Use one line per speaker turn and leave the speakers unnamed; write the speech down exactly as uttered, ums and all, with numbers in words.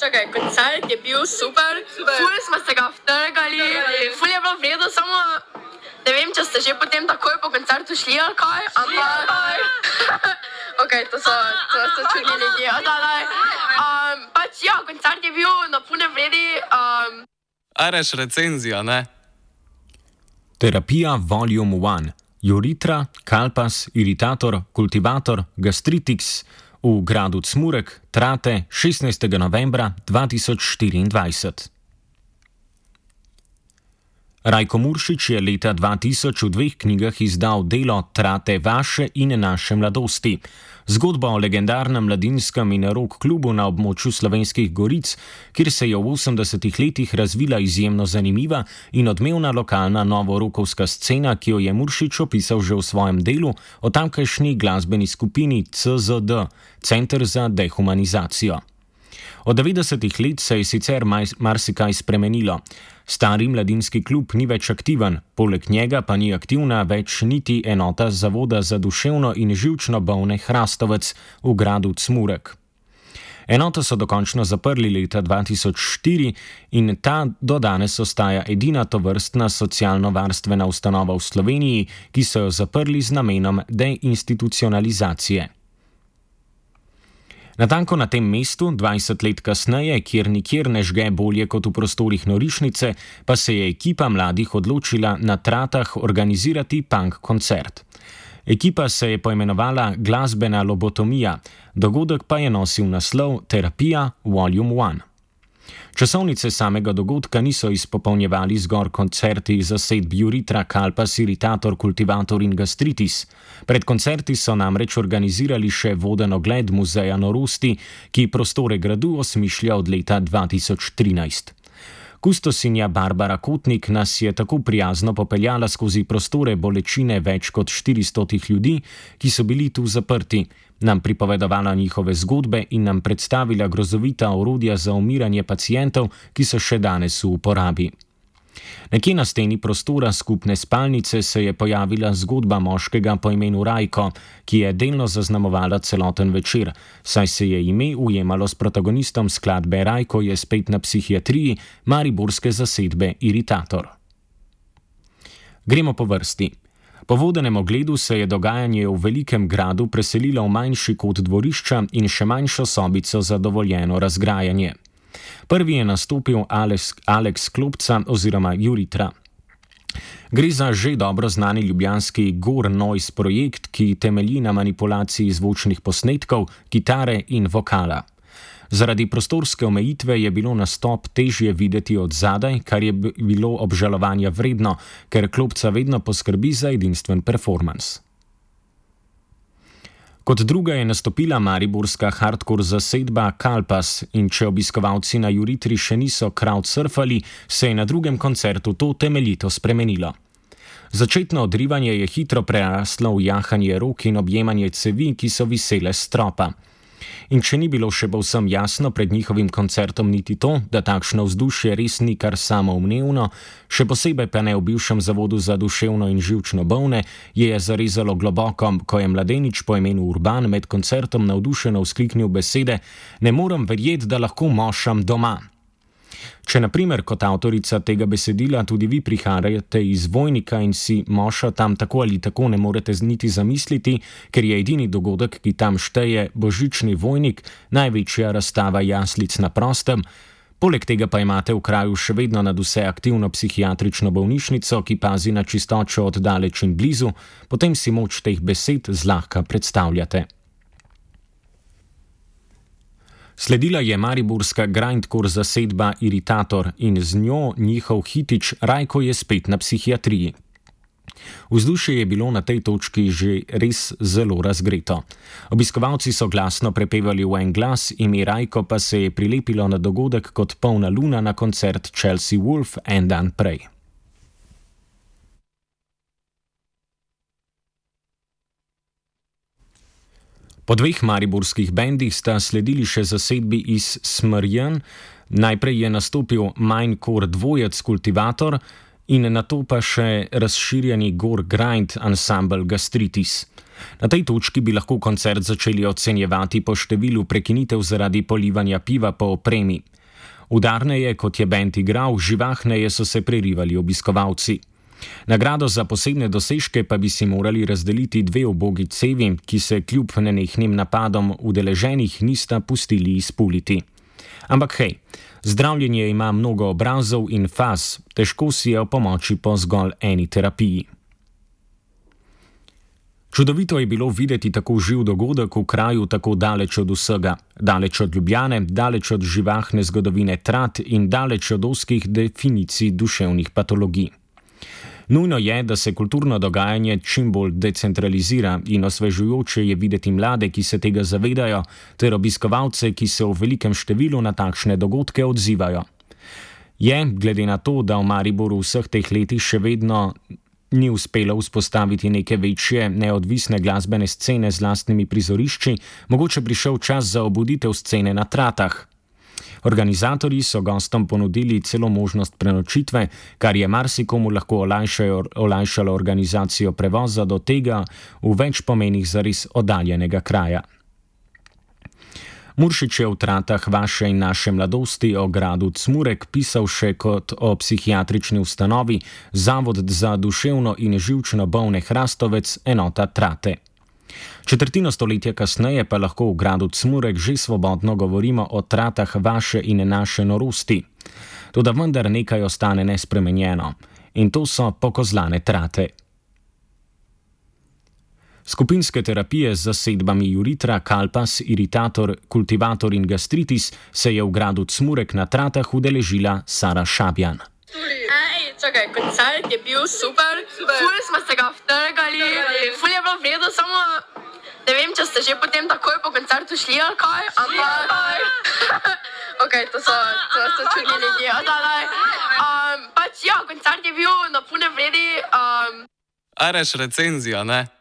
čakaj, koncert je bil super, super. Ful smo se ga vtrgali, ful je bilo vredo, samo ne vem, če ste že potem takoj po koncertu šli ali kaj, ampak... ok, to so, to so čudni ljudje, odalaj. Um, pač ja, koncert je bil na pune vredi. Um...
Areš recenzija, ne?
Terapija Volume ena. Uritra, Kalpas, Iritator, Kultivator, Gastritiks v gradu Cmurek, Trate, šestnajstega novembra dva tisoč štiriindvajset. Rajko Muršič je leta dva tisoč v dveh knjigah izdal delo Trate vaše in naše mladosti. Zgodba o legendarnem mladinskem in rock klubu na območju Slovenskih goric, kjer se je v osemdesetih letih razvila izjemno zanimiva in odmevna lokalna novorokovska scena, ki jo je Muršič opisal že v svojem delu o tamkajšnji glasbeni skupini C Z D, Center za dehumanizacijo. Od devetdesetih let se je sicer marsikaj spremenilo. Stari mladinski klub ni več aktiven, poleg njega pa ni aktivna več niti enota Zavoda za duševno in živčno bolne Hrastovec v gradu Cmurek. Enoto so dokončno zaprli leta dva tisoč štiri in ta do danes ostaja edina tovrstna socialno-varstvena ustanova v Sloveniji, ki so jo zaprli z namenom deinstitucionalizacije. Natanko na tem mestu, dvajset let kasneje, kjer nikjer ne žge bolje kot v prostorih norišnice, pa se je ekipa mladih odločila na Tratah organizirati punk koncert. Ekipa se je poimenovala Glasbena lobotomija, dogodek pa je nosil naslov Terapija Volume ena. Časovnice samega dogodka niso izpopolnjevali zgor koncerti zasedb Uritra, Kalpas, Iritator, Kultivator in Gastritis. Pred koncerti so namreč organizirali še voden ogled Muzeja norosti, ki prostore gradu osmišlja od leta dva tisoč trinajst. Kustosinja Barbara Kotnik nas je tako prijazno popeljala skozi prostore bolečine več kot štiristotih ljudi, ki so bili tu zaprti, nam pripovedovala njihove zgodbe in nam predstavila grozovita orodja za umiranje pacientov, ki so še danes v uporabi. Nekje na steni prostora skupne spalnice se je pojavila zgodba moškega po imenu Rajko, ki je delno zaznamovala celoten večer, saj se je ime ujemalo s protagonistom skladbe Rajko je spet na psihiatriji mariborske zasedbe Iritator. Gremo po vrsti. Po vodenem ogledu se je dogajanje v velikem gradu preselilo v manjši kot dvorišča in še manjšo sobico za dovoljeno razgrajanje. Prvi je nastopil Alex, Alex Klopca oziroma Uritra. Gre za že dobro znani ljubljanski Gore Noise projekt, ki temelji na manipulaciji zvočnih posnetkov, kitare in vokala. Zaradi prostorske omejitve je bilo nastop težje videti od zadaj, kar je bilo obžalovanja vredno, ker Klopca vedno poskrbi za edinstven performans. Kot druga je nastopila mariborska hardcore zasedba Kalpas in če obiskovalci na Uritri še niso crowdsurfali, se je na drugem koncertu to temeljito spremenilo. Začetno odrivanje je hitro preraslo v jahanje rok in objemanje cevi, ki so visele s stropa. In če ni bilo še povsem jasno pred njihovim koncertom niti to, da takšno vzdušje res ni kar samoumevno, še posebej pa ne v bivšem zavodu za duševno in živčno bolne, je zarezalo globoko, ko je mladenič po imenu Urban med koncertom navdušeno vzkliknil besede: "Ne morem verjeti, da lahko mošam doma." Če na primer kot avtorica tega besedila tudi vi prihajate iz Vojnika in si moša tam tako ali tako ne morete niti zamisliti, ker je edini dogodek, ki tam šteje, božični Vojnik, največja razstava jaslic na prostem, poleg tega pa imate v kraju še vedno nadvse aktivno psihiatrično bolnišnico, ki pazi na čistočo od daleč in blizu, potem si moč teh besed zlahka predstavljate. Sledila je mariborska grindcore zasedba Iritator in z njo njihov hitič Rajko je spet na psihiatriji. Vzdušje je bilo na tej točki že res zelo razgreto. Obiskovalci so glasno prepevali v en glas, ime Rajko pa se je prilepilo na dogodek kot polna luna na koncert Chelsea Wolf en dan prej. Po dveh mariborskih bendih sta sledili še zasedbi iz Smrjen, najprej je nastopil Mindcore dvojec Kultivator in nato pa še razširjeni Gore Grind ansambel Gastritis. Na tej točki bi lahko koncert začeli ocenjevati po številu prekinitev zaradi polivanja piva po opremi. Udarneje, kot je bend igral, živahneje so se prerivali obiskovalci. Nagrado za posebne dosežke pa bi si morali razdeliti dve ubogi cevi, ki se kljub nenehnim napadom udeleženih nista pustili izpuliti. Ampak hej, zdravljenje ima mnogo obrazov in faz, težko si je opomoči po zgolj eni terapiji. Čudovito je bilo videti tako živ dogodek v kraju tako daleč od vsega, daleč od Ljubljane, daleč od živahne zgodovine Trat in daleč od ozkih definicij duševnih patologij. Nujno je, da se kulturno dogajanje čim bolj decentralizira in osvežujoče je videti mlade, ki se tega zavedajo, ter obiskovalce, ki se v velikem številu na takšne dogodke odzivajo. Je, glede na to, da v Mariboru vseh teh letih še vedno ni uspelo vzpostaviti neke večje, neodvisne glasbene scene z lastnimi prizorišči, mogoče prišel čas za obuditev scene na Tratah. Organizatorji so gostom ponudili celo možnost prenočitve, kar je marsikomu lahko olajšalo organizacijo prevoza do tega v več pomenih zares oddaljenega kraja. Muršič je v Tratah vaše in naše mladosti o gradu Cmurek pisal še kot o psihiatrični ustanovi Zavod za duševno in živčno bolne Hrastovec, enota Trate. Četrtino stoletja kasneje pa lahko v gradu Cmurek že svobodno govorimo o Tratah vaše in naše norosti. Toda vendar nekaj ostane nespremenjeno. In to so pokozlane Trate. Skupinske terapije z zasedbami Juritra, Kalpas, Iritator, Kultivator in Gastritis se je v gradu Cmurek na Tratah udeležila Sara Šabjan.
Ej, čakaj, koncert je bil super, super. Ful smo se ga vtrgali, ful je bilo vredo, samo ne vem, če ste že potem takoj po koncertu šli ali kaj, ampak ok, to so, to so čudni ljudje, odalaj. Um, pač ja, koncert je bil na pune vredi. Um...
Areš recenzija, ne?